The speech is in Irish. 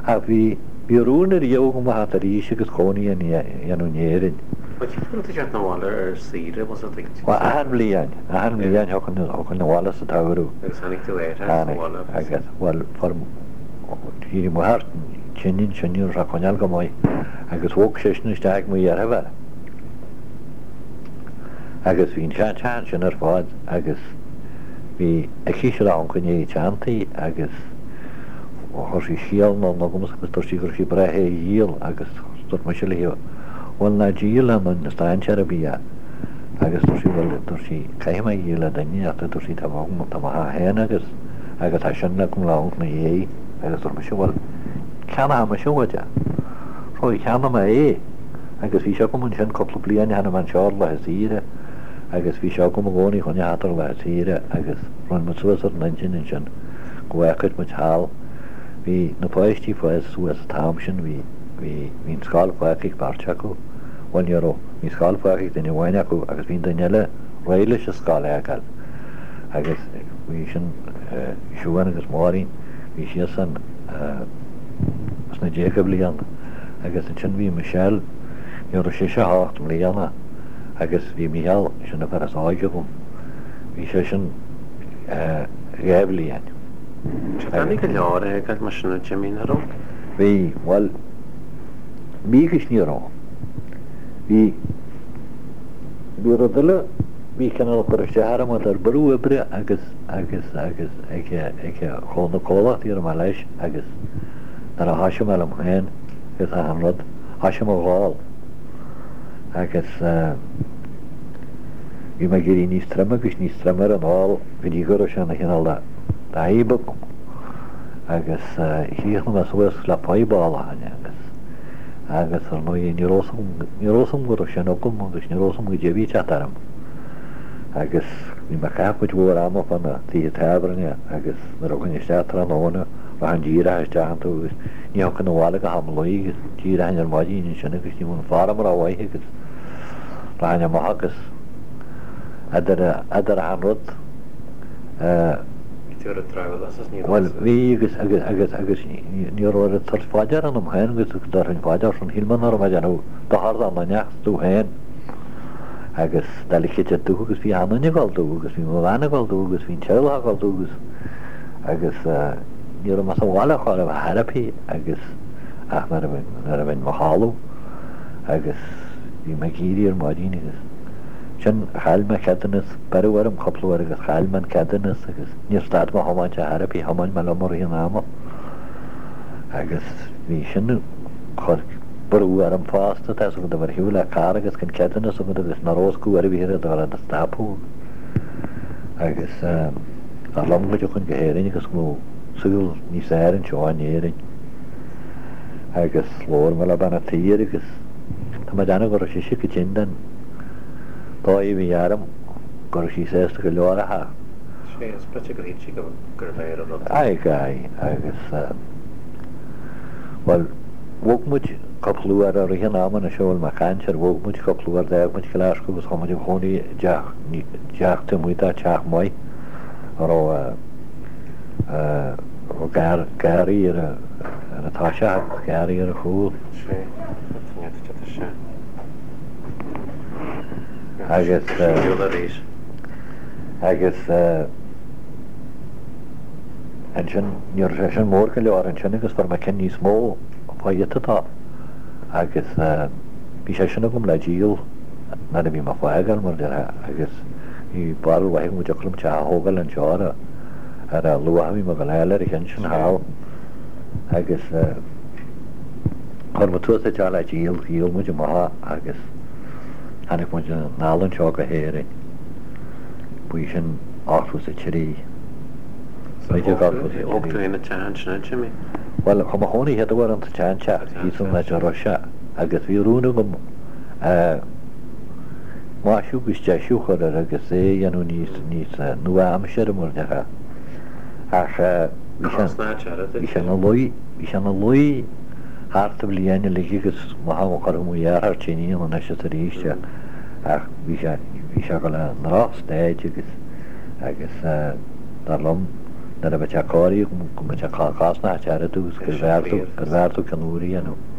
Ach bhí, bhí rún ariamh agam a theacht arís agus cónaí a dhéanamh in Éirinn. Bhuel, cén uair a tú teacht 'na bhaile ar saoire, bhfuil a fhios agat? Bhuel, achan bhliain, achan bhliain thiocfainn, thiocfainn abhaile sa tsamhradh. Agus tháinig tú ar, sa bhaile agus. Tháinig, agus, bhuel, fuair, d'éirigh m'athair tinn ansin, ní raibh sé ag coinneáil go maith, agus bhog seisean isteach ag mo dheirfiúr. Agus bhí an seanteach ansin ar fad agus bhí aici a uncail i ndiaidh teanntaí agus chuir sí scéal anonn chugamsa agus dúirt sí go raibh sí breá é a dhíol agus dúirt mise léi bhuel ná díol le aon strainséir ar bith é agus dúirt sí bhuel dúirt sí caithfidh mé a dhíol le duine ach dúirt sí tá mo tá mo theach féin agus agus tá sin agam le uncail ina dhiaidh agus dúirt mise bhuel ceannóidh mise uait é. So cheannaigh mé é agus bhí sé agam ansin cúpla bliain tháinig mé anseo ar laetha saoire agus bhí sé agam i gcónaí chun a theacht ar laetha saoire agus rinne muid suas ar an intinn ansin go bhfágfadh muid thall. Bhí na páistí fásta suas an t-am sin, bhí, bhí, bhí an scoil fágtha ag beirt acu, bhuel ní raibh, bhí an scoil fágtha ag duine amháin acu agus bhí an duine eile réidh leis an scoil a fhágáil agus bhí sin Siubhán agus Máirín, bhí siadsan sna déaga bliana agus ansin bhí Michelle, ní raibh sise ach 8 mbliana agus bhí Mícheál, sin an fear is óige agam, bhí seisean 2 bhliain. Sé doiligh go leor é a fhágáil mar sin a Jimmy, nach raibh? Bhí, bhuel, bhí agus ní raibh. Bhí, bhí rud eile, bhí cineál cur isteach orm idir brú oibre agus, agus, agus ag, ag na comhlachtaí a raibh mé leis agus nuair a thoisigh mé liom féin agus achan rud, thoisigh mé ag ól agus bhí mé ag éirí níos troime agus níos troime ar an ól go dtí go raibh sé ina chineál de fhadhb agam agus chríochnaigh mé suas le fadhb ólacháin agus agus ar ndóigh ní raibh ní raibh 'fhios a'm go raibh sin agam agus ní raibh 'fhios a'm goidé a bhí ag teacht orm agus bhí mé ag caitheamh cuid mhór ama fá na tithe tábhairne agus nuair a thiocfainn isteach tráthnóna rachainn díreach isteach iontu agus ní thiocfainn abhaile go ham luí agus d'éireoinn ar maidin ansin agus ní bheadh an form rómhaith agus rachainn amach agus idir idir achan rud Bhí tú ar an drabhlás is ní raibh Bhuel bhí agus agus agus agus ní raibh oiread tabhairt fá deara ionam féin agus go dtabharfainn fá deara sin shíl mé nach raibh mé ag déanamh dochar d'aon duine ach domh féin agus delicate dubh agus bhí achan duine ag gabháil dubh agus bhí mo bhean ag gabháil dubh agus bhí an teaghlach ag gabháil dubh agus agus ní raibh mé sa bhaile chor ar bith ar bith agus ach nuair a bhí nuair a bhínn mo chodladh agus bhí mé ag éirí ar maidin agus sin chaill mé ceadúnas, beireadh orm cúpla uair agus chaill mé an ceadúnas agus níor stad mé thiomáint ar chor ar bith, thiomáin mé liom i rith an ama agus bhí sin chuir brú orm fosta, tá 'fhios agat a bheith ar shiúl le carr agus gan ceadúnas agat agus nach raibh 'fhios agat ar bith ar a stop thú agus dar liom go dtiocfainn go hÉirinn agus go mbeadh saol níos fearr anseo in Éirinn agus labhair mé le bean an tsaoir agus tá mé ag déanamh go raibh sise chomh tinn den dóigh a bhí orm go raibh sí sásta go leor a theacht. Sea, is b'fhéidir gur shíl sí gurbh fhearr an rud. Aye, aye, agus bhuel, bhog muid cúpla uair i rith an ama anois a bhfuil mé ag caint air, bhog muid cúpla uair, d'fhág muid Glaschú agus chuaigh muid a chónaí i dteach, teach taobh amuigh de teach maith a raibh, a raibh garraí ar an toiseach agus garraí ar an chúl. Sea, tá sé. Agus agus ansin ní raibh sé sin mór go leor ansin agus fuair mé ceann níos mó fá ghiota dó agus bhí sé sin agam le díol nuair a bhí mé ag fágáil mar a déarfá agus bhí barúil mhaith agam go dtiocfadh liom teach a thógáil anseo ar a ar a luach a bhí mé ag dul a fháil ar an cheann sin thall agus Chuir muid suas an teach le díol, dhíol muid amach é agus tháinig muid anall anseo go hÉirinn. Ba í sin 83. 1983. Thóg tú féin an teach ansin, a Jimmy? Bhuel, chuaigh mé a chónaí chéad uair insa tseanteach thíos an áit a raibh sé agus bhí rún agam maisiú agus deisiú a chur air agus é a dhéanamh níos, níos nua-aimseartha mar a déarfá. Ach bhí sé, bhí sé ina luí. Bhí sé ina luí thart an bhliain uilig agus mo chuirfeadh mo dheartháir tine ann anois is arís ach bhí sé, bhí sé ag dul i ndrochstaid agus, agus dar liom nuair a bheadh sé cóirithe go mbeadh sé cosnach ar dtús, gurbh fhearr tú, gurbh fhearr tú ceann úr a dhéanamh.